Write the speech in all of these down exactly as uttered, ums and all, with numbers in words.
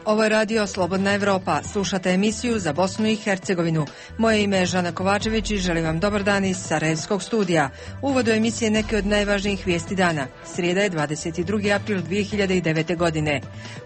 Ovo je radio Slobodna Evropa. Slušate emisiju za Bosnu i Hercegovinu. Moje ime je Žana Kovačević i želim vam dobar dan iz Sarajevskog studija. U uvodu emisije neke od najvažnijih vijesti dana. Srijeda je dvadeset drugi april dvije hiljade devete. godine.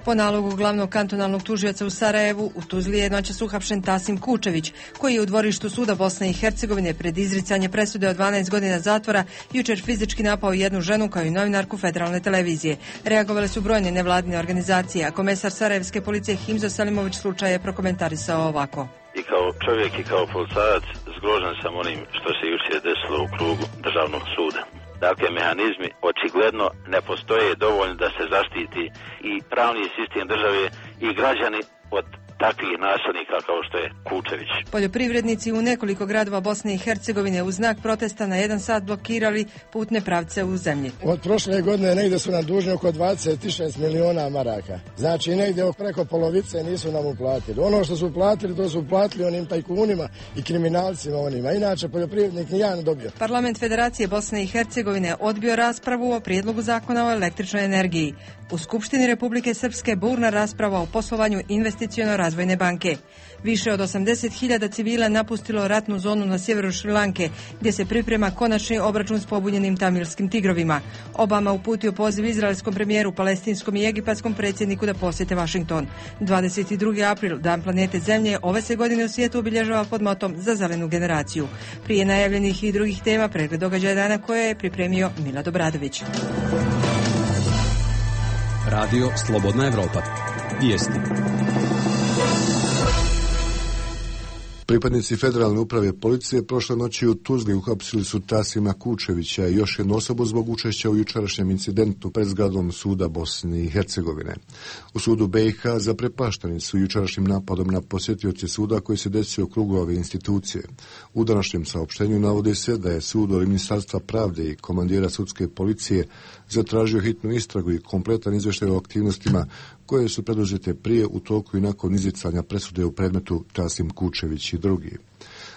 Po nalogu glavnog kantonalnog tužioca u Sarajevu, u Tuzli je noćas uhapšen Tasim Kučević, koji je u dvorištu suda Bosne i Hercegovine pred izricanje presude od dvanaest godina zatvora jučer fizički napao jednu ženu kao i novinarku federalne televizije. Reagovale su brojne nevladine organizacije, a komesar Sarajevske policije Himzo Selimović slučaj je prokomentarisao ovako. I kao čovjek i kao policajac zgrožen sam onim što se jučer desilo u krugu državnog suda. Dakle, mehanizmi očigledno ne postoje dovoljno da se zaštiti i pravni sistem države i građani od takvih nasilnika kao što je Kučević. Poljoprivrednici u nekoliko gradova Bosne i Hercegovine u znak protesta na jedan sat blokirali putne pravce u zemlji. Od prošle godine negdje su nam dužni oko dvadeset šest miliona maraka. Znači negdje preko polovice nisu nam uplatili. Ono što su uplatili, to su uplatili onim tajkunima i kriminalcima onima. Inače poljoprivrednik nijedan ne dobio. Parlament Federacije Bosne i Hercegovine odbio raspravu o prijedlogu zakona o električnoj energiji. U Skupštini Republike Srpske burna rasprava o poslovanju investiciono razvojne banke. Više od osamdeset hiljada civila napustilo ratnu zonu na sjeveru Šrilanke, gdje se priprema konačni obračun s pobunjenim tamilskim tigrovima. Obama uputio poziv izraelskom premijeru, palestinskom i egipatskom predsjedniku da posjete Washington. dvadeset drugi april, Dan planete Zemlje, ove se godine u svijetu obilježava pod motom za zelenu generaciju. Prije najavljenih i drugih tema, pregled događaja dana koje je pripremio Milad Obradović. Radio Slobodna Evropa. Vijesti. Pripadnici federalne uprave policije prošle noći u Tuzli uhapsili su Tasima Kučevića i još jednu osobu zbog učešća u jučerašnjem incidentu pred zgradom suda Bosne i Hercegovine. U sudu B i H zaprepašteni su jučerašnjim napadom na posjetioce suda koji se desio u krugu ove institucije. U današnjem saopštenju navodi se da je sud od Ministarstva pravde i komandira sudske policije zatražio hitnu istragu i kompletan izvještaj o aktivnostima koje su preduzete prije, u toku i nakon izricanja presude u predmetu Tasim Kučević i drugi.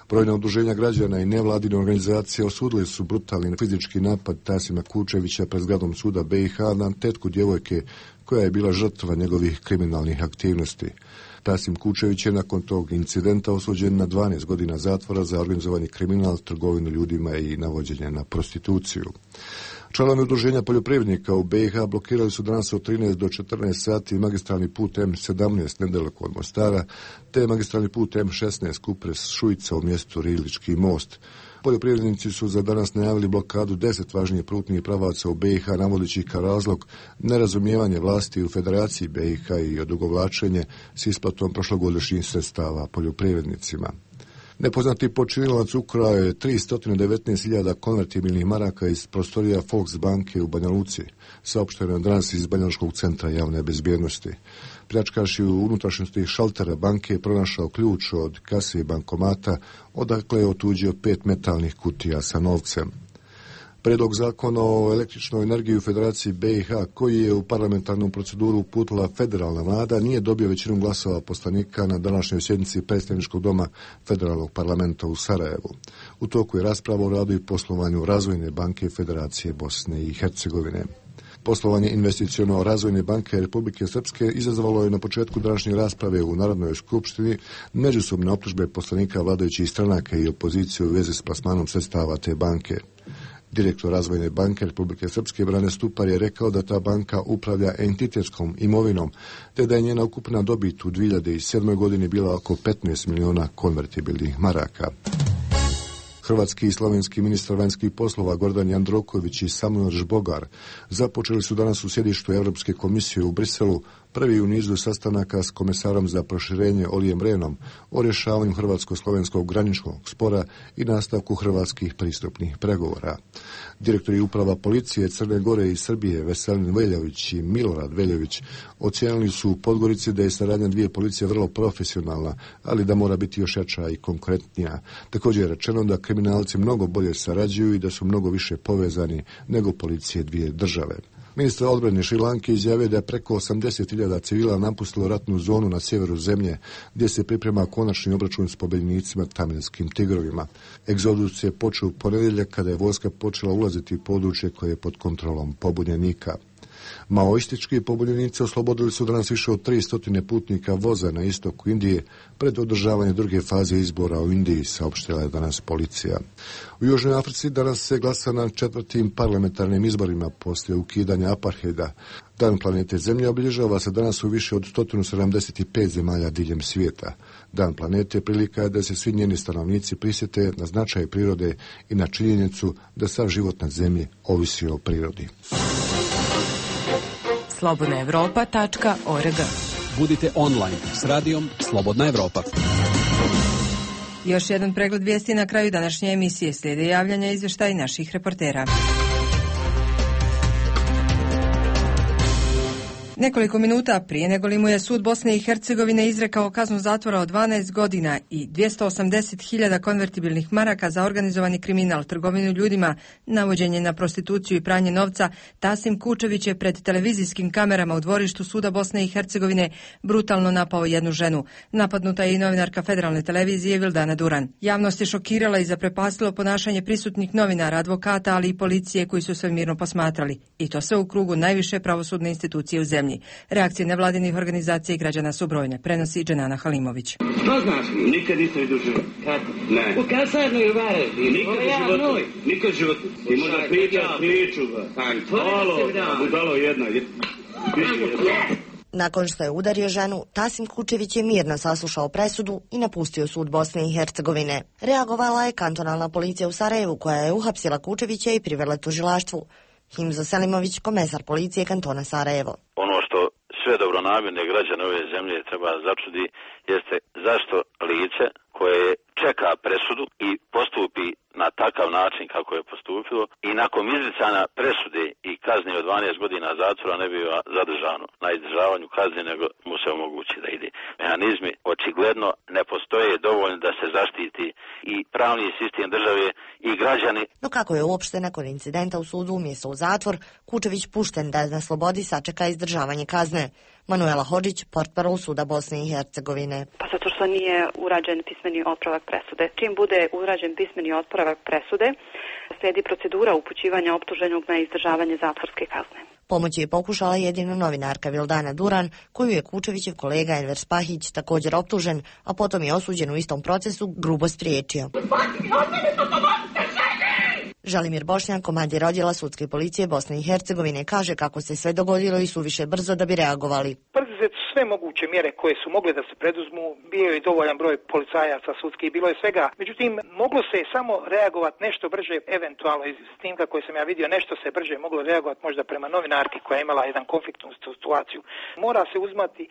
Brojna udruženja građana i nevladine organizacije osudili su brutalni fizički napad Tasima Kučevića pred zgradom suda B i H na tetku djevojke koja je bila žrtva njegovih kriminalnih aktivnosti. Tasim Kučević je nakon tog incidenta osuđen na dvanaest godina zatvora za organizovani kriminal, trgovinu ljudima i navođenje na prostituciju. Članovi udruženja poljoprivrednika u B i H blokirali su danas od trinaest do četrnaest sati magistralni put M sedamnaest nedaleko od Mostara, te magistralni put M šesnaest Kupres Šujica u mjestu Rilički most. Poljoprivrednici su za danas najavili blokadu deset važnijih putnih pravaca u B i H, navodeći kao razlog nerazumijevanje vlasti u Federaciji B i H i odugovlačenje s isplatom prošlogodišnjih sredstava poljoprivrednicima. Nepoznati počinilac ukrao je tristo devetnaest hiljada konvertibilnih maraka iz prostorija Volksbanke u Banja Luci, saopšteno je danas iz Banjalučkog centra javne bezbjednosti. Pljačkaš je u unutrašnjosti šaltera banke pronašao ključ od kase i bankomata, odakle je otuđio pet metalnih kutija sa novcem. Predlog zakona o električnoj energiji u Federaciji B i H, koji je u parlamentarnu proceduru uputila federalna vlada, nije dobio većinu glasova poslanika na današnjoj sjednici predstavničkog doma federalnog parlamenta u Sarajevu. U toku je rasprava o radu i poslovanju Razvojne banke Federacije Bosne i Hercegovine. Poslovanje investiciono Razvojne banke Republike Srpske izazvalo je na početku današnje rasprave u Narodnoj skupštini međusobne optužbe poslanika vladajućih stranaka i opozicije u vezi s plasmanom sredstava te banke. Direktor Razvojne banke Republike Srpske Brane Stupar je rekao da ta banka upravlja entitetskom imovinom, te da je njena ukupna dobit u dvije hiljade sedmoj. godini bila oko petnaest miliona konvertibilnih maraka. Hrvatski i slovenski ministar vanjskih poslova Gordan Jandroković i Samuel Žbogar započeli su danas u sjedištu Europske komisije u Briselu prvi u nizu sastanaka s komesarom za proširenje Olijem Rehnom o rješavanju hrvatsko-slovenskog graničnog spora i nastavku hrvatskih pristupnih pregovora. Direktori uprava policije Crne Gore i Srbije Veselin Veljović i Milorad Veljović ocijenili su u Podgorici da je saradnja dvije policije vrlo profesionalna, ali da mora biti još jača i konkretnija. Također je rečeno da kriminalci mnogo bolje sarađuju i da su mnogo više povezani nego policije dvije države. Ministar odbrane Šrilanke izjavio da je preko osamdeset hiljada civila napustilo ratnu zonu na sjeveru zemlje, gdje se priprema konačni obračun s pobjednicima tamilskim tigrovima. Egzodus je počeo u ponedjeljak kada je vojska počela ulaziti u područje koje je pod kontrolom pobunjenika. Maoistički pobunjenici oslobodili su danas više od tristo putnika voza na istoku Indije pred održavanje druge faze izbora u Indiji, saopštila je danas policija. U Južnoj Africi danas se glasa na četvrtim parlamentarnim izborima poslije ukidanja apartheida. Dan planete Zemlje obilježava se danas u više od sto sedamdeset pet zemalja diljem svijeta. Dan planete prilika je da se svi njeni stanovnici prisjete na značaj prirode i na činjenicu da sav život na Zemlji ovisi o prirodi. slobodna evropa tačka org. Budite online s radijom Slobodna Evropa. Još jedan pregled vijesti na kraju današnje emisije. Slijede javljanja i izvještaj naših reportera. Nekoliko minuta prije nego li mu je sud Bosne i Hercegovine izrekao kaznu zatvora od dvanaest godina i dvjesto osamdeset hiljada konvertibilnih maraka za organizovani kriminal, trgovinu ljudima, navođenje na prostituciju i pranje novca, Tasim Kučević je pred televizijskim kamerama u dvorištu suda Bosne i Hercegovine brutalno napao jednu ženu. Napadnuta je i novinarka federalne televizije Vildana Duran. Javnost je šokirala i zaprepastilo ponašanje prisutnih novinara, advokata, ali i policije koji su sve mirno posmatrali. I to sve u krugu najviše pravosudne institucije u zemlji. Reakcije nevladinih organizacija i građana su brojne, prenosi Dženana Halimović. Što znaš? Nikad nisam vidio život. Kako? Ne. U kasarnu ili vare? Nikad u životu. Nikad u životu. Ti možda pričaš priču. Halo, budalo jedna. Nakon što je udario ženu, Tasim Kučević je mirno saslušao presudu i napustio sud Bosne i Hercegovine. Reagovala je kantonalna policija u Sarajevu, koja je uhapsila Kučevića i privela tužilaštvu. Himzo Selimović, komesar policije kantona Sarajevo. Ono što sve dobronamjerne građane ove zemlje treba začudi jeste zašto lice koje čeka presudu i postupi na takav način kako je postupilo i nakon izricanja presude i kazne od dvanaest godina zatvora ne biva zadržano na izdržavanju kazne, nego mu se omogući da ide. Mehanizmi očigledno ne postoje dovoljno da se zaštiti i pravni sistem države i građani. No kako je uopšte nakon incidenta u sudu umjesto u zatvor, Kučević pušten da na slobodi sačeka izdržavanje kazne? Manuela Hodžić, portparol suda Bosne i Hercegovine. Pa zato što nije urađen pismeni otpravak presude. Čim bude urađen pismeni otpravak presude, slijedi procedura upućivanja optuženog na izdržavanje zatvorske kazne. Pomoć je pokušala jedino novinarka Vildana Duran, koju je Kučevićev kolega Enver Spahić, također optužen, a potom je osuđen u istom procesu, grubo spriječio. Žalimir Bošnjak, komandir odjela sudske policije Bosne i Hercegovine, kaže kako se sve dogodilo i suviše brzo da bi reagovali. Preduzete su sve moguće mjere koje su mogle da se preduzmu, bio je dovoljan broj policajaca sudskih, bilo je svega. Međutim, moglo se samo reagovati nešto brže, eventualno iz snimka koje sam ja vidio, nešto se brže moglo reagovati možda prema novinarki koja je imala jedan konfliktnu situaciju. Mora se uzmati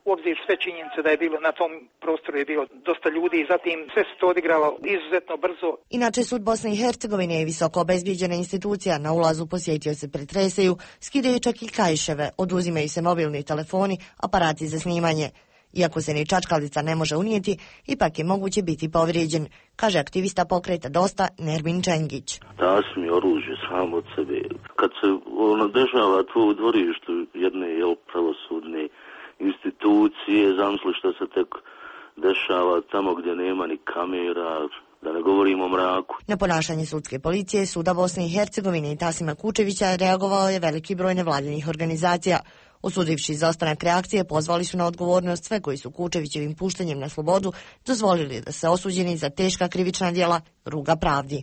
u obzir sve činjenice da je bilo na tom prostoru je bilo dosta ljudi i zatim sve se to odigralo izuzetno brzo. Inače, sud Bosne i Hercegovine je visoko obezbijeđena institucija, na ulazu posjetioce pretresaju, skidaju čak i kajševe, oduzimaju se mobilni telefoni, aparati za snimanje. Iako se ni čačkalica ne može unijeti, ipak je moguće biti povrijeđen, kaže aktivista pokreta Dosta Nermin Čengić. Tasim je oružje sam od sebe. Kad se ono dešava to u dvorištu jedne jel, pravosudne institucije, zamisli što se tek dešava tamo gdje nema ni kamera, da ne govorimo o mraku. Na ponašanje sudske policije, suda Bosne i Hercegovine i Tasima Kučevića reagovao je veliki broj nevladinih organizacija. Osudivši izostanak reakcije, pozvali su na odgovornost sve koji su Kučevićevim puštanjem na slobodu dozvolili da se osuđeni za teška krivična djela ruga pravdi.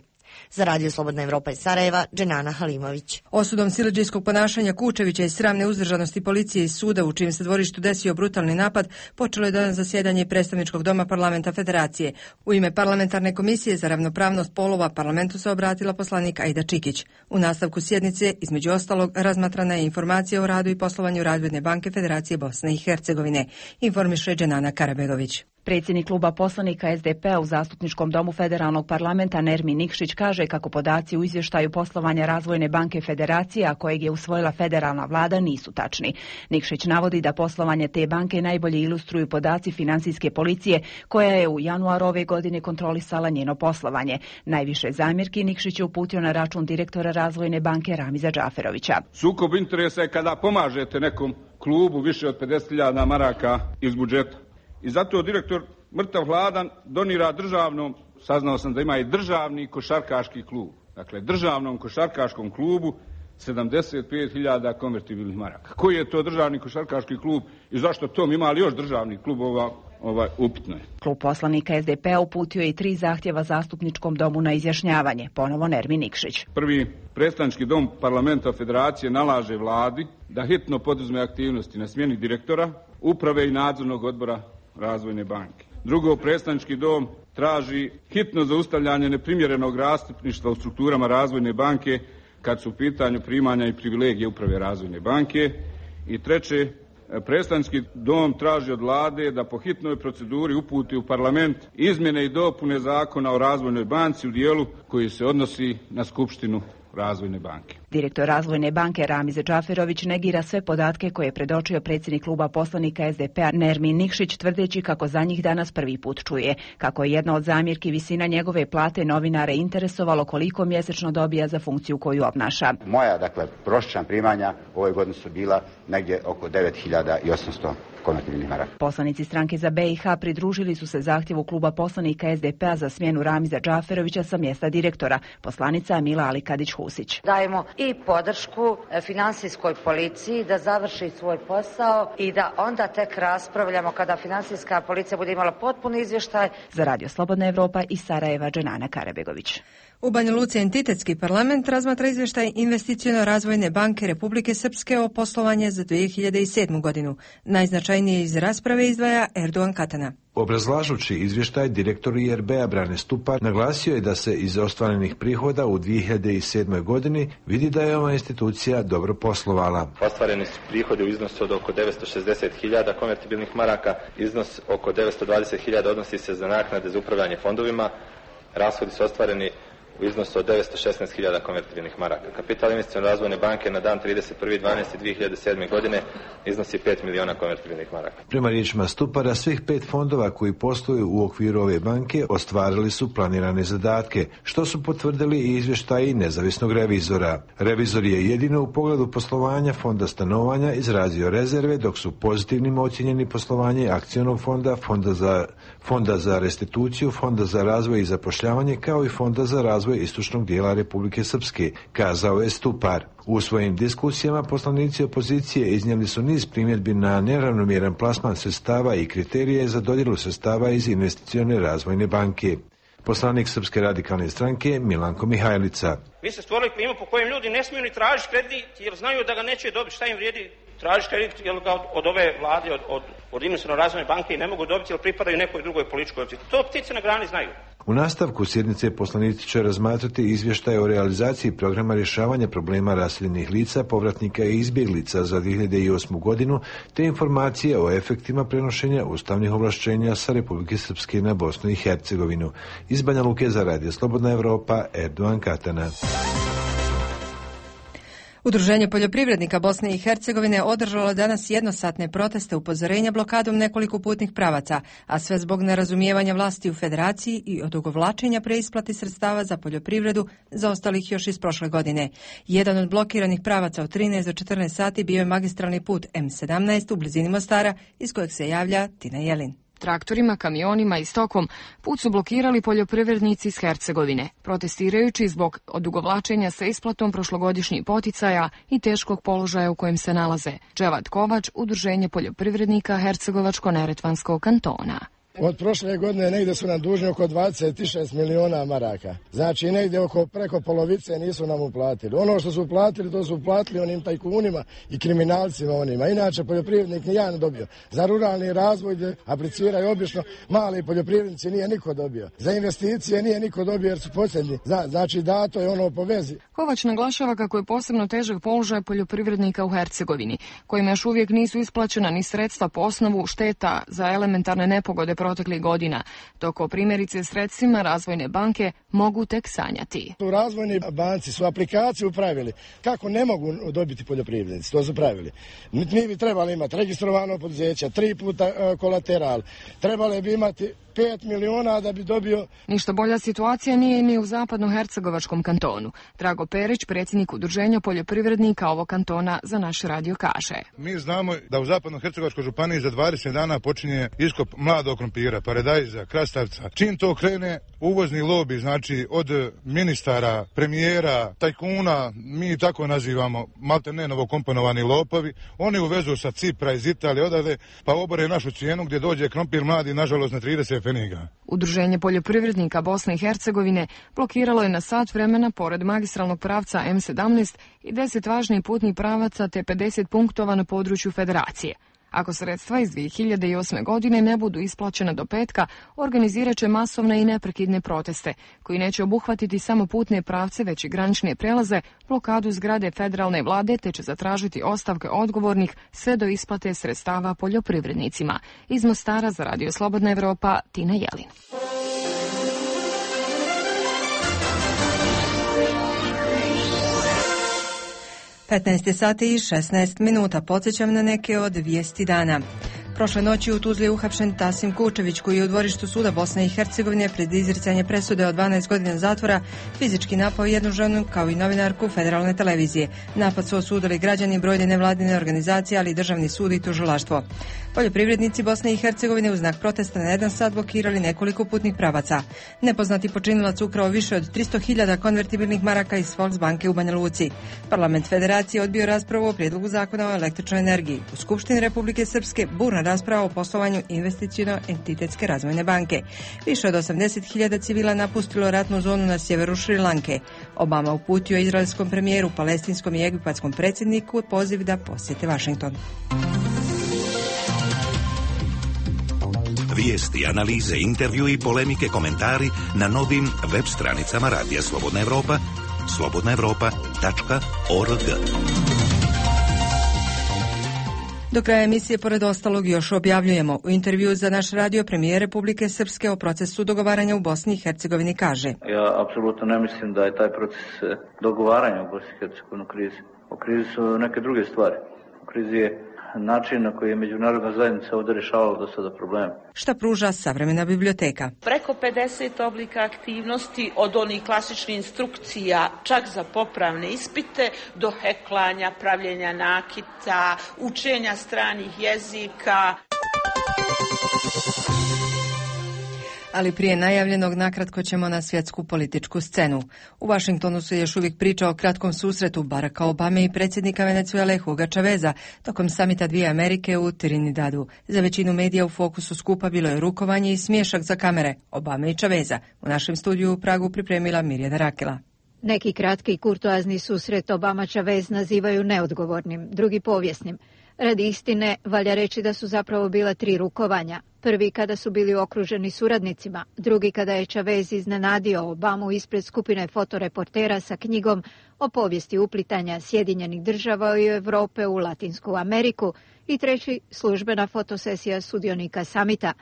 Za Radio Slobodna Evropa iz Sarajeva, Dženana Halimović. Osudom siledžijskog ponašanja Kučevića i sramne uzdržanosti policije iz suda u čijem se dvorištu desio brutalni napad, počelo je danas zasjedanje predstavničkog doma parlamenta Federacije. U ime parlamentarne komisije za ravnopravnost polova parlamentu se obratila poslanik Aida Čikić. U nastavku sjednice, između ostalog, razmatrana je informacija o radu i poslovanju Razvojne banke Federacije Bosne i Hercegovine, informiše Dženana Karabegović. Predsjednik kluba poslanika S D P-a u Zastupničkom domu Federalnog parlamenta Nermin Nikšić kaže kako podaci u izvještaju poslovanja Razvojne banke Federacije, a kojeg je usvojila federalna vlada, nisu tačni. Nikšić navodi da poslovanje te banke najbolje ilustruju podaci financijske policije, koja je u januaru ove godine kontrolisala njeno poslovanje. Najviše zamjerki Nikšić je uputio na račun direktora Razvojne banke Ramiza Džaferovića. Sukob interesa je kada pomažete nekom klubu više od pedeset hiljada maraka iz budžeta. I zato direktor mrtav hladan donira državnom, saznao sam da ima i državni košarkaški klub. Dakle, državnom košarkaškom klubu sedamdeset pet hiljada konvertibilnih maraka. Koji je to državni košarkaški klub i zašto tom ima li još državnih klubova? Ovaj, upitno je. Klub poslanika S D P uputio je i tri zahtjeva zastupničkom domu na izjašnjavanje. Ponovo Nermin Nikšić. Prvi, predstavnički dom parlamenta federacije nalaže vladi da hitno poduzme aktivnosti na smjeni direktora, uprave i nadzornog odbora Razvojne banke. Drugo, predstavnički dom traži hitno zaustavljanje neprimjerenog rastupništva u strukturama Razvojne banke kad su u pitanju primanja i privilegije uprave Razvojne banke. I treće, predstavnički dom traži od vlade da po hitnoj proceduri uputi u parlament izmjene i dopune zakona o Razvojnoj banci u dijelu koji se odnosi na Skupštinu Razvojne banke. Direktor Razvojne banke Ramiz Džaferović negira sve podatke koje je predočio predsjednik kluba poslanika S D P-a Nermin Nikšić, tvrdeći kako za njih danas prvi put čuje. Kako je jedna od zamjerki visina njegove plate novinare interesovalo koliko mjesečno dobija za funkciju koju obnaša. Moja, dakle, prosječna primanja ove godine su bila negdje oko devet hiljada osamsto konvertibilnih maraka. Poslanici stranke za B i H pridružili su se zahtjevu kluba poslanika S D P-a za smjenu Ramiza Džaferovića sa mjesta direktora. Poslanica Mila Alikadić-Husić. Dajemo i podršku finansijskoj policiji da završi svoj posao i da onda tek raspravljamo kada finansijska policija bude imala potpuni izvještaj. Za Radio Slobodna Evropa iz Sarajeva, Dženana Karabegović. U Banja Luci entitetski parlament razmatra izvještaj Investiciono-razvojne banke Republike Srpske o poslovanje za dvije hiljade sedmu. godinu. Najznačajnije iz rasprave izdvaja Erdogan Katana. Obrazlažući izvještaj, direktor I R B-a Brane Stupar naglasio je da se iz ostvarenih prihoda u dvije hiljade sedmoj. godini vidi da je ova institucija dobro poslovala. Ostvareni su prihodi u iznosu od oko devetsto šezdeset hiljada konvertibilnih maraka, iznos oko devetsto dvadeset hiljada odnosi se za naknade za upravljanje fondovima, rashodi su ostvareni u iznosu od devetsto šesnaest hiljada konvertibilnih maraka. Kapital Investiciono razvojne banke na dan trideset prvi dvanaesti dvije hiljade sedme. godine iznosi pet miliona konvertibilnih maraka. Prema riječima Stupara, svih pet fondova koji posluju u okviru ove banke ostvarili su planirane zadatke, što su potvrdili i izvještaji nezavisnog revizora. Revizor je jedino u pogledu poslovanja fonda stanovanja izrazio rezerve, dok su pozitivnim ocjenjeni poslovanje akcionog fonda, fonda za, fonda za restituciju, fonda za razvoj i zapošljavanje, kao i fonda za razvoj istočnog dijela Republike Srpske, kazao je Stupar. U svojim diskusijama poslanici opozicije iznijeli su niz primjedbi na neravnomjeran plasman sredstava i kriterije za dodjelu sredstava iz Investicione razvojne banke. Poslanik Srpske radikalne stranke Milanko Mihajlica. Mi se stvorili klimu po kojem ljudi ne smiju ni tražiti kredit jer znaju da ga neće dobiti. Šta im vrijedi tražiti kredit jer ga od, od ove vlade, od, od, od Investicione razvojne banke i ne mogu dobiti jer pripadaju nekoj drugoj političkoj opciji. To ptice na grani znaju. U nastavku sjednice poslanici će razmatrati izvještaj o realizaciji programa rješavanja problema raseljenih lica, povratnika i izbjeglica za dvije hiljade osmu. godinu, te informacije o efektima prenošenja ustavnih ovlašćenja sa Republike Srpske na Bosnu i Hercegovinu. Iz Banja Luke za Radio Slobodna Evropa, Erdogan Katana. Udruženje poljoprivrednika Bosne i Hercegovine održalo danas jednosatne proteste upozorenja blokadom nekoliko putnih pravaca, a sve zbog nerazumijevanja vlasti u federaciji i odugovlačenja preisplati sredstava za poljoprivredu zaostalih još iz prošle godine. Jedan od blokiranih pravaca od trinaest do četrnaest sati bio je magistralni put M sedamnaest u blizini Mostara, iz kojeg se javlja Tina Jelin. Traktorima, kamionima i stokom put su blokirali poljoprivrednici iz Hercegovine, protestirajući zbog odugovlačenja sa isplatom prošlogodišnjih poticaja i teškog položaja u kojem se nalaze. Dževad Kovač, Udruženje poljoprivrednika Hercegovačko-neretvanskog kantona. Od prošle godine negdje su nam dužni oko dvadeset šest miliona maraka. Znači negdje oko preko polovice nisu nam uplatili. Ono što su uplatili, to su uplatili onim tajkunima i kriminalcima onima. Inače poljoprivrednik ni ja ne dobio. Za ruralni razvoj gdje apliciraju obično mali poljoprivrednici nije niko dobio. Za investicije nije niko dobio jer su posljednji. Znači dato je ono po vezi. Kovač naglašava kako je posebno težak položaj poljoprivrednika u Hercegovini, kojima još uvijek nisu isplaćena ni sredstva po osnovu šteta za elementarne nepogode proteklih godina, dok o primjerice sredstvima Razvojne banke mogu tek sanjati. U Razvojnoj banci su aplikaciju pravili kako ne mogu dobiti poljoprivrednici, to su pravili. Mi bi trebali imati registrovano poduzeće, tri puta uh, kolateral, trebali bi imati pet miliona da bi dobio... Ništa bolja situacija nije ni u zapadno-hercegovačkom kantonu. Drago Perić, predsjednik Udruženja poljoprivrednika ovog kantona, za naš radio kaže. Mi znamo da u zapadno-hercegovačkoj županiji za dvadeset dana počinje iskop mladog krompira krompira, paradajza, krastavca. Čim to krene, uvozni lobi, znači od ministara, premijera, tajkuna, mi tako nazivamo, malte ne novokomponovani lopovi, oni uvezu sa Cipra iz Italije odavde, pa obore našu cijenu gdje dođe krompir mladi, nažalost, na trideset pfeniga. Udruženje poljoprivrednika Bosne i Hercegovine blokiralo je na sat vremena pored magistralnog pravca em sedamnaest i deset važnih putnih pravaca te pedeset punktova na području federacije. Ako sredstva iz dvije hiljade osme. godine ne budu isplaćena do petka, organizirat će masovne i neprekidne proteste, koji neće obuhvatiti samo putne pravce, već i granične prelaze, blokadu zgrade federalne vlade, te će zatražiti ostavke odgovornih sve do isplate sredstava poljoprivrednicima. Iz Mostara za Radio Slobodna Evropa, Tina Jelin. petnaest sati i šesnaest minuta. Podsjećam na neke od vijesti dana. Prošle noći u Tuzli je uhapšen Tasim Kučević, koji je u dvorištu suda Bosne i Hercegovine pred izricanje presude od dvanaest godina zatvora fizički napao jednu ženu kao i novinarku federalne televizije. Napad su osudili građani, brojne nevladine organizacije, ali i državni sud i tužilaštvo. Poljoprivrednici Bosne i Hercegovine u znak protesta na jedan sat blokirali nekoliko putnih pravaca. Nepoznati počinilac ukrao više od tristo hiljada konvertibilnih maraka iz Volksbanke u Banja Luci. Parlament Federacije odbio raspravu o prijedlogu zakona o električnoj energiji. U Skupštini Republike Srpske burna rasprava o poslovanju investiciono-entitetske razvojne banke. Više od osamdeset hiljada civila napustilo ratnu zonu na sjeveru Šri Lanke. Obama uputio izraelskom premijeru, palestinskom i egipatskom predsjedniku poziv da posjete Vašington. Vijesti, analize, intervju i polemike, komentari na novim web stranicama Radija Slobodna Evropa, slobodna evropa tačka org. Do kraja emisije, pored ostalog, još objavljujemo. U intervju za naš radio premijer Republike Srpske o procesu dogovaranja u Bosni i Hercegovini kaže: Ja apsolutno ne mislim da je taj proces dogovaranja u Bosni i Hercegovini u krizi. U krizi su neke druge stvari. U krizi je način na koji je međunarodna zajednica ovdje rješavala do sada probleme. Šta pruža savremena biblioteka? Preko pedeset oblika aktivnosti, od onih klasičnih instrukcija čak za popravne ispite do heklanja, pravljenja nakita, učenja stranih jezika. Ali prije najavljenog nakratko ćemo na svjetsku političku scenu. U Vašingtonu se još uvijek priča o kratkom susretu Baracka Obame i predsjednika Venezuele Huga Chaveza tokom samita dvije Amerike u Trinidadu. Za većinu medija u fokusu skupa bilo je rukovanje i smiješak za kamere Obame i Chaveza. U našem studiju u Pragu pripremila Mirjana Rakela. Neki kratki i kurtoazni susret Obama-Chavez nazivaju neodgovornim, drugi povijesnim. Radi istine, valja reći da su zapravo bila tri rukovanja. Prvi kada su bili okruženi suradnicima, drugi kada je Chavez iznenadio Obamu ispred skupine fotoreportera sa knjigom o povijesti uplitanja Sjedinjenih država i Europe u Latinsku Ameriku i treći službena fotosesija sudionika samita.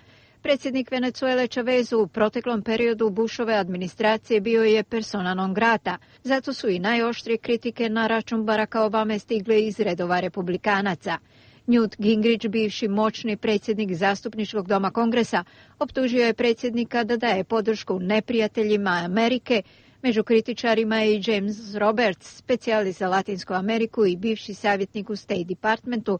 Predsjednik Venezuele Chavez u proteklom periodu Bushove administracije bio je persona non grata, zato su i najoštrije kritike na račun Baracka Obame stigle iz redova republikanaca. Newt Gingrich, bivši moćni predsjednik zastupničkog doma Kongresa, optužio je predsjednika da daje podršku neprijateljima Amerike. Među kritičarima je i James Roberts, specijalist za Latinsku Ameriku i bivši savjetnik u State Departmentu.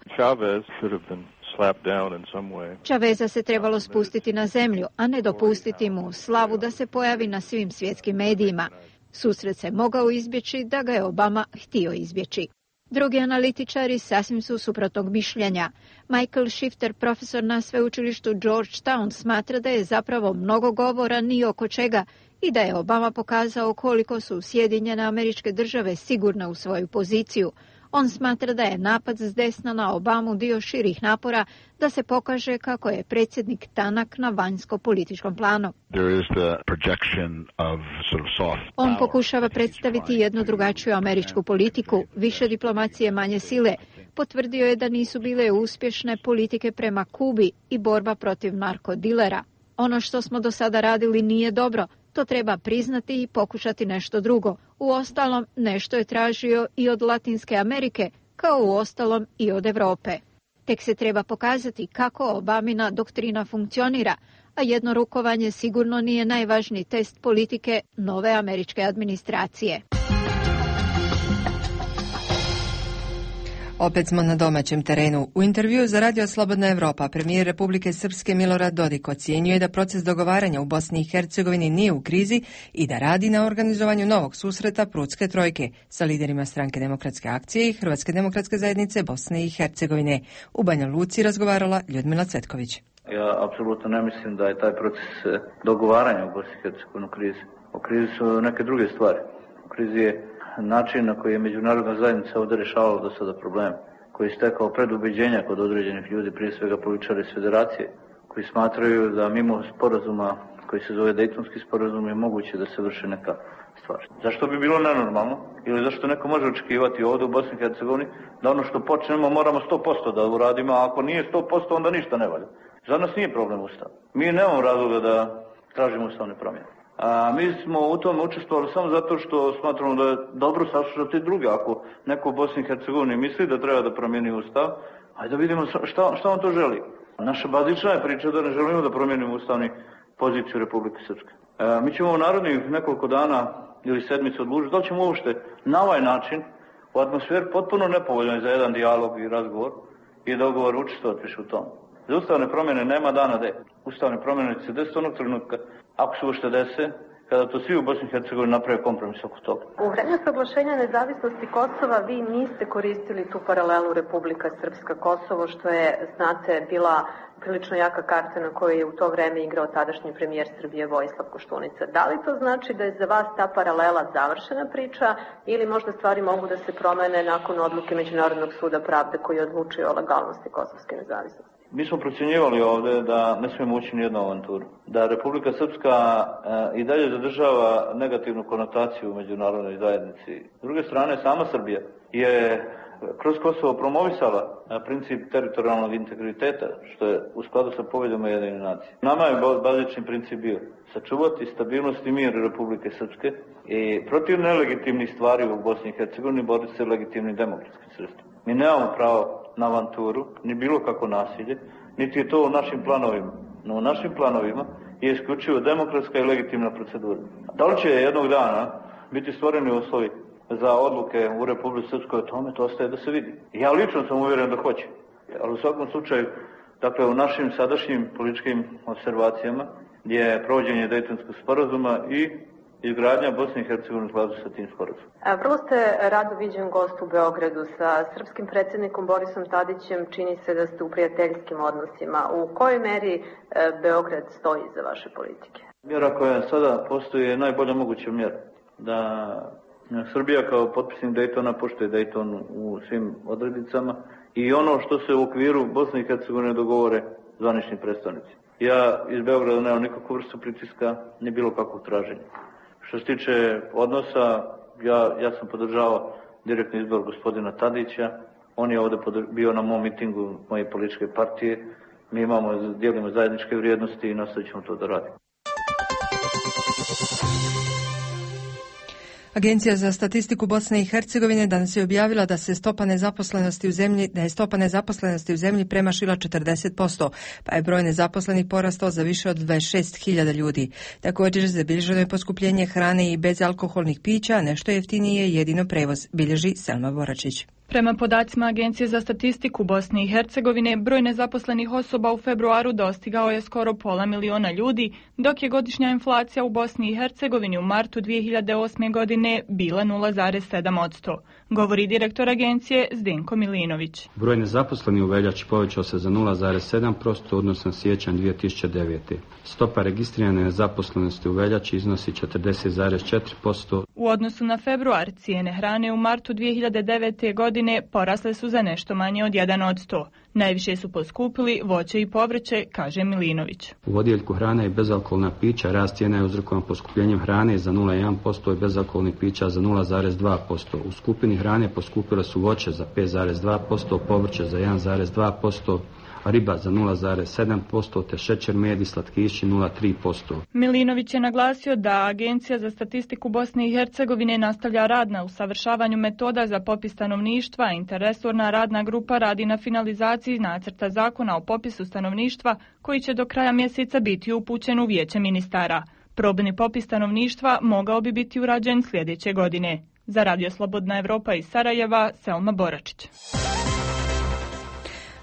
Chaveza se trebalo spustiti na zemlju, a ne dopustiti mu slavu da se pojavi na svim svjetskim medijima. Susret se mogao izbjeći da ga je Obama htio izbjeći. Drugi analitičari sasvim su suprotnog mišljenja. Michael Shifter, profesor na sveučilištu Georgetown, smatra da je zapravo mnogo govora ni oko čega i da je Obama pokazao koliko su Sjedinjene Američke Države sigurne u svoju poziciju. On smatra da je napad s desna na Obamu dio širih napora da se pokaže kako je predsjednik tanak na vanjsko-političkom planu. On pokušava predstaviti jednu drugačiju američku politiku, više diplomacije, manje sile. Potvrdio je da nisu bile uspješne politike prema Kubi i borba protiv narkodilera. Ono što smo do sada radili nije dobro. To treba priznati i pokušati nešto drugo. Uostalom, nešto je tražio i od Latinske Amerike, kao uostalom i od Europe. Tek se treba pokazati kako Obamina doktrina funkcionira, a jedno rukovanje sigurno nije najvažniji test politike nove američke administracije. Opet smo na domaćem terenu. U intervjuu za Radio Slobodna Evropa premijer Republike Srpske Milorad Dodik ocjenjuje da proces dogovaranja u Bosni i Hercegovini nije u krizi i da radi na organizovanju novog susreta Prudske trojke sa liderima Stranke demokratske akcije i Hrvatske demokratske zajednice Bosne i Hercegovine. U Banja Luci razgovarala Ljudmila Cvetković. Ja apsolutno ne mislim da je taj proces dogovaranja u Bosni i Hercegovini u krizi. U krizi su neke druge stvari. U krizi je način na koji je međunarodna zajednica ovdje rješavala do sada probleme, koji je stekao predubeđenja kod određenih ljudi, prije svega političara iz federacije, koji smatraju da mimo sporazuma koji se zove Dejtonski sporazum je moguće da se vrše neka stvar. Zašto bi bilo nenormalno ili zašto neko može očekivati ovdje u Bosni i Hercegovini da ono što počnemo moramo sto posto da uradimo, a ako nije sto posto onda ništa ne valja. Za nas nije problem Ustav. Mi nemamo razloga da tražimo ustavne promjene. A mi smo u tome učestvovali samo zato što smatramo da je dobro saslušati druge. Ako neko u Bosni i Hercegovini misli da treba da promijeni Ustav, ajde da vidimo šta, šta on to želi. Naša bazična je priča da ne želimo da promijenimo ustavni poziciju Republike Srpske. E, mi ćemo u narednih nekoliko dana ili sedmice odlučiti da li ćemo uopšte na ovaj način u atmosferi potpuno nepovoljnoj za jedan dijalog i razgovor i dogovor učestvovati više u tom. Za ustavne promjene nema dana D. Ustavne promjene će se desiti onog trenutka, ako se uopšte dese, kada to svi u Bosni i Hercegovini naprave kompromis oko toga. U vreme proglašenja nezavisnosti Kosova vi niste koristili tu paralelu Republika Srpska Kosovo, što je, znate, bila prilično jaka karta na kojoj je u to vreme igrao tadašnji premijer Srbije Vojislav Koštunica. Da li to znači da je za vas ta paralela završena priča ili možda stvari mogu da se promene nakon odluke Međunarodnog suda pravde koji odlučuje o legalnosti kosovske nezavisnosti? Mi smo procjenjivali ovdje da ne smijemo ući nijednu avanturu. Da Republika Srpska e, i dalje zadržava negativnu konotaciju u međunarodnoj zajednici. S druge strane, sama Srbija je kroz Kosovo promovisala princip teritorijalnog integriteta, što je u skladu sa poveljom Ujedinjenih nacija. Nama je bazični princip bio sačuvati stabilnost i mir Republike Srpske i protiv nelegitimnih stvari u Bosni i Hercegovini boriti se legitimnim demokratskim sredstvima. Mi nemamo pravo na avanturu, ni bilo kako nasilje, niti je to u našim planovima. No u našim planovima je isključivo demokratska i legitimna procedura. Da li će jednog dana biti stvoreni uslovi za odluke u Republici Srpskoj o tome, to ostaje da se vidi. Ja lično sam uvjeren da hoće. Ali u svakom slučaju, dakle u našim sadašnjim političkim observacijama je provođenje Dejtonskog sporazuma i izgradnja Bosne i Hercegovine u skladu sa tim sporazumom. Vrlo ste rado viđen gost u Beogradu. Sa srpskim predsjednikom Borisom Tadićem čini se da ste u prijateljskim odnosima. U kojoj meri Beograd stoji za vaše politike? Mjera koja sada postoji je najbolja moguća mjera. Da Srbija kao potpisnik Dejtona poštuje Dejton u svim odrednicama i ono što se u okviru Bosne i Hercegovine dogovore zvanični predstavnici. Ja iz Beograda nemam nikakvu vrstu pritiska, ni bilo kakvog traženja. Što se tiče odnosa, ja, ja sam podržavao direktni izbor gospodina Tadića. On je ovdje bio na mom mitingu moje političke partije. Mi imamo, dijelimo zajedničke vrijednosti i nastavit ćemo to da radimo. Agencija za statistiku Bosne i Hercegovine danas je objavila da se stopa nezaposlenosti u zemlji, da je stopa nezaposlenosti u zemlji premašila četrdeset posto, pa je broj nezaposlenih porastao za više od dvadeset šest hiljada ljudi. Također zabilježeno je poskupljenje hrane i bezalkoholnih pića, a nešto jeftinije je jedino prevoz, bilježi Selma Boračić. Prema podacima Agencije za statistiku Bosne i Hercegovine, broj nezaposlenih osoba u februaru dostigao je skoro pola miliona ljudi, dok je godišnja inflacija u Bosni i Hercegovini u martu dvije hiljade osme. godine bila nula zarez sedam posto, govori direktor agencije Zdenko Milinović. Broj nezaposlenih u veljači povećao se za nula zarez sedam posto odnosno na siječanj dvije tisuće devete. Stopa registrirane nezaposlenosti u veljači iznosi četrdeset zarez četiri posto. U odnosu na februar, cijene hrane u martu dvije hiljade devete. godine porasle su za nešto manje od jedan posto. Najviše su poskupili voće i povrće, kaže Milinović. U odjeljku hrane i bezalkoholna pića rast cijena je uzrokovan poskupljenjem hrane za nula zarez jedan posto i bezalkoholnih pića za nula zarez dva posto. U skupini hrane poskupile su voće za pet zarez dva posto, povrće za jedan zarez dva posto, riba za nula zarez sedam posto te šećer, med i slatkiši nula zarez tri posto. Milinović je naglasio da Agencija za statistiku Bosne i Hercegovine nastavlja rad na usavršavanju metoda za popis stanovništva, a interresorna radna grupa radi na finalizaciji nacrta zakona o popisu stanovništva koji će do kraja mjeseca biti upućen u Vijeće ministara. Probni popis stanovništva mogao bi biti urađen sljedeće godine. Za Radio Slobodna Evropa iz Sarajeva, Selma Boračić.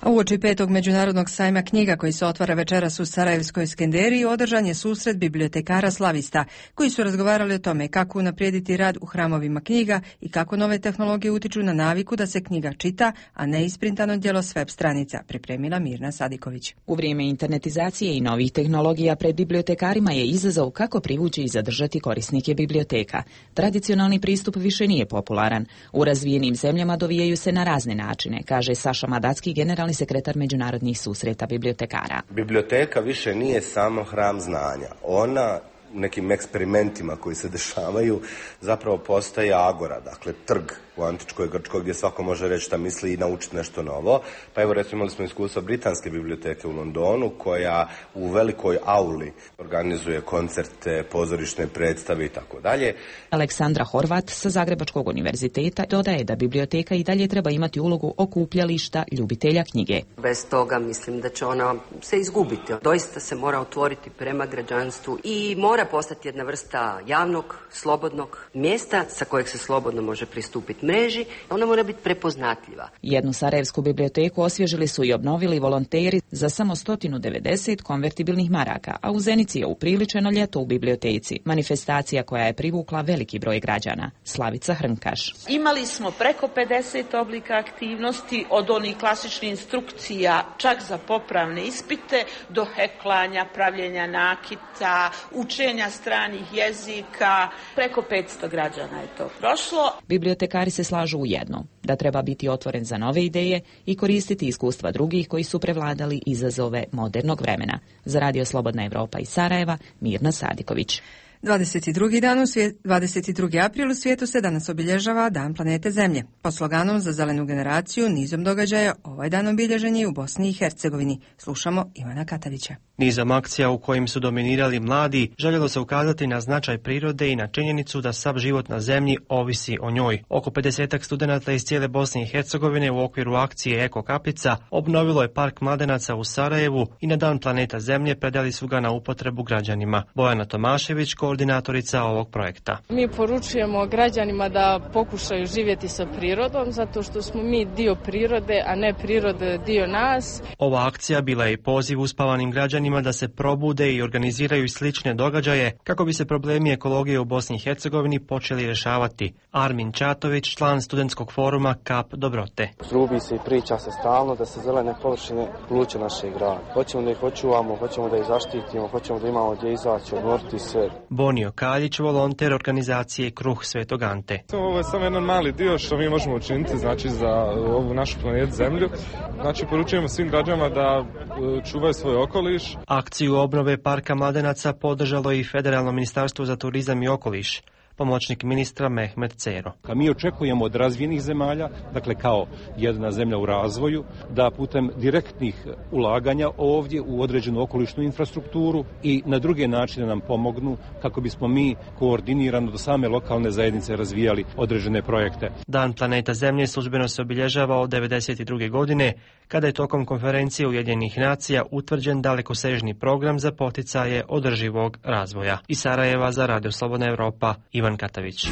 A uoči petog međunarodnog sajma knjiga koji se otvara večeras u Sarajevskoj Skenderiji održan je susret bibliotekara slavista koji su razgovarali o tome kako unaprijediti rad u hramovima knjiga i kako nove tehnologije utiču na naviku da se knjiga čita, a ne isprintano djelo s web stranica, pripremila Mirna Sadiković. U vrijeme internetizacije i novih tehnologija pred bibliotekarima je izazov kako privući i zadržati korisnike biblioteka. Tradicionalni pristup više nije popularan. U razvijenim zemljama dovijaju se na razne načine, kaže Saša Madacki, generalni sekretar međunarodnih susreta bibliotekara. Biblioteka više nije samo hram znanja. Ona nekim eksperimentima koji se dešavaju zapravo postaje agora, dakle trg u antičkoj Grčkoj gdje svako može reći šta misli i naučiti nešto novo. Pa evo recimo imali smo iskustvo Britanske biblioteke u Londonu koja u velikoj auli organizuje koncerte, pozorišne predstave i tako dalje. Aleksandra Horvat sa Zagrebačkog univerziteta dodaje da biblioteka i dalje treba imati ulogu okupljališta ljubitelja knjige. Bez toga mislim da će ona se izgubiti. Doista se mora otvoriti prema građanstvu i mora postati jedna vrsta javnog, slobodnog mjesta sa kojeg se slobodno može pristupiti mreži. Ona mora biti prepoznatljiva. Jednu sarajevsku biblioteku osvježili su i obnovili volonteri za samo sto devedeset konvertibilnih maraka, a u Zenici je upriličeno ljeto u biblioteci, manifestacija koja je privukla veliki broj građana. Slavica Hrnkaš. Imali smo preko pedeset oblika aktivnosti, od onih klasičnih instrukcija čak za popravne ispite do heklanja, pravljenja nakita, učenja stranih jezika. Preko petsto građana je to prošlo. Bibliotekari se slažu u jednom, da treba biti otvoren za nove ideje i koristiti iskustva drugih koji su prevladali izazove modernog vremena. Za Radio Slobodna Evropa iz Sarajeva, Mirna Sadiković. dvadeset drugi dan u svijet, dvadeset drugi april u svijetu se danas obilježava Dan planete Zemlje. Po sloganom za zelenu generaciju nizom događaja ovaj dan obilježen je u Bosni i Hercegovini. Slušamo Ivana Katavića. Nizom akcija u kojim su dominirali mladi, željelo se ukazati na značaj prirode i na činjenicu da sav život na zemlji ovisi o njoj. Oko pedesetak studenata iz cijele Bosne i Hercegovine u okviru akcije Eko Kaplica obnovilo je park mladenaca u Sarajevu i na Dan planeta Zemlje predali su ga na upotrebu građanima. Bojana Tomašević, koordinatorica ovog projekta. Mi poručujemo građanima da pokušaju živjeti sa prirodom, zato što smo mi dio prirode, a ne prirode dio nas. Ova akcija bila je poziv uspavanim građanima da se probude i organiziraju slične događaje kako bi se problemi ekologije u Bosni i Hercegovini počeli rješavati. Armin Čatović, član studentskog foruma Kap dobrote. Trubi se i priča se stalno da se zelene površine pluće našeg grada. Hoćemo da ih očuvamo, hoćemo da ih zaštitimo, hoćemo da imamo gdje izaći, odmoriti se. Bonio Kaljić, volonter organizacije Kruh Svetog Ante. Ovo je samo jedan mali dio što mi možemo učiniti, znači za ovu našu planetu Zemlju. Znači poručujemo svim građanima da čuvaju svoj okoliš. Akciju obnove parka mladenaca podržalo i Federalno ministarstvo za turizam i okoliš. Pomoćnik ministra Mehmet Cero. Mi očekujemo od razvijenih zemalja, dakle kao jedna zemlja u razvoju, da putem direktnih ulaganja ovdje u određenu okolišnu infrastrukturu i na druge načine nam pomognu kako bismo mi koordinirano do same lokalne zajednice razvijali određene projekte. Dan planeta Zemlje službeno se obilježava od devedeset druge godine, kada je tokom konferencije Ujedinjenih nacija utvrđen dalekosežni program za poticaje održivog razvoja. Iz Sarajeva za Radio Slobodna Evropa, Ivan Katavić.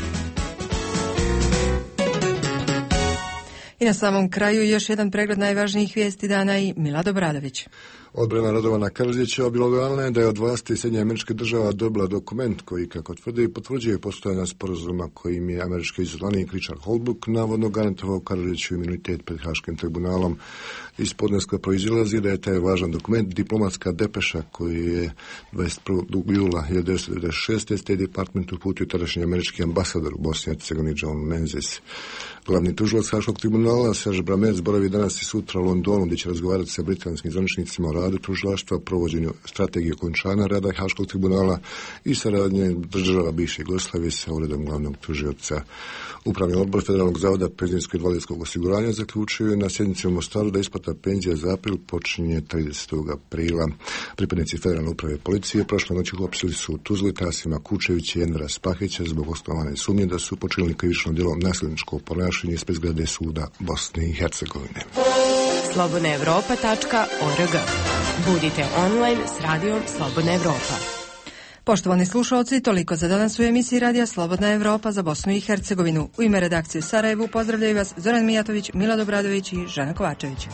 I na samom kraju još jedan pregled najvažnijih vijesti dana i Milad Obradović. Odbrana Radovana Karadžića obilovala je da je od vlasti Sjedinjenih Američkih Država dobila dokument koji, kako tvrdi, potvrđuje postojanje sporazuma kojim je američki izaslanik Richard Holbrooke navodno garantovao Karadžiću imunitet pred Haškim tribunalom. Iz podneska proizilazi da je taj važan dokument diplomatska depeša koji je dvadeset prvog jula hiljadu devetsto devedeset šeste. State Department uputio tadašnji američki ambasador u Bosni i Hercegovini John Menzies. Glavni tužilac Haškog tribunala Serge Bramec boravi danas i sutra u Londonu gdje će razgovarati sa britanskim zvaničnicima o radu tužilaštva, provođenju strategije okončanja rada Haškog tribunala i saradnje država bivše Jugoslavije sa uredom glavnog tužioca. Upravni odbor Federalnog zavoda penzijskog i invalidskog osiguranja zaključuje na sjednici u Mostaru da isplata penzija za april počinje tridesetog aprila. Pripadnici Federalne uprave policije prošle noći uhapsili su Tuzli Tasima Kučevića i Envera Spahića zbog osnovane sumnje da su počinili krivično djelo nasilničkog ponašanja ispred zgrade suda Bosne i Hercegovine. slobodna evropa tačka org. Budite online s radijom Slobodna Evropa. Poštovani slušalci, toliko za danas u emisiji Radija Slobodna Evropa za Bosnu i Hercegovinu. U ime redakcije u Sarajevu pozdravljaju vas Zoran Mijatović, Milad Obradović i Žana Kovačević.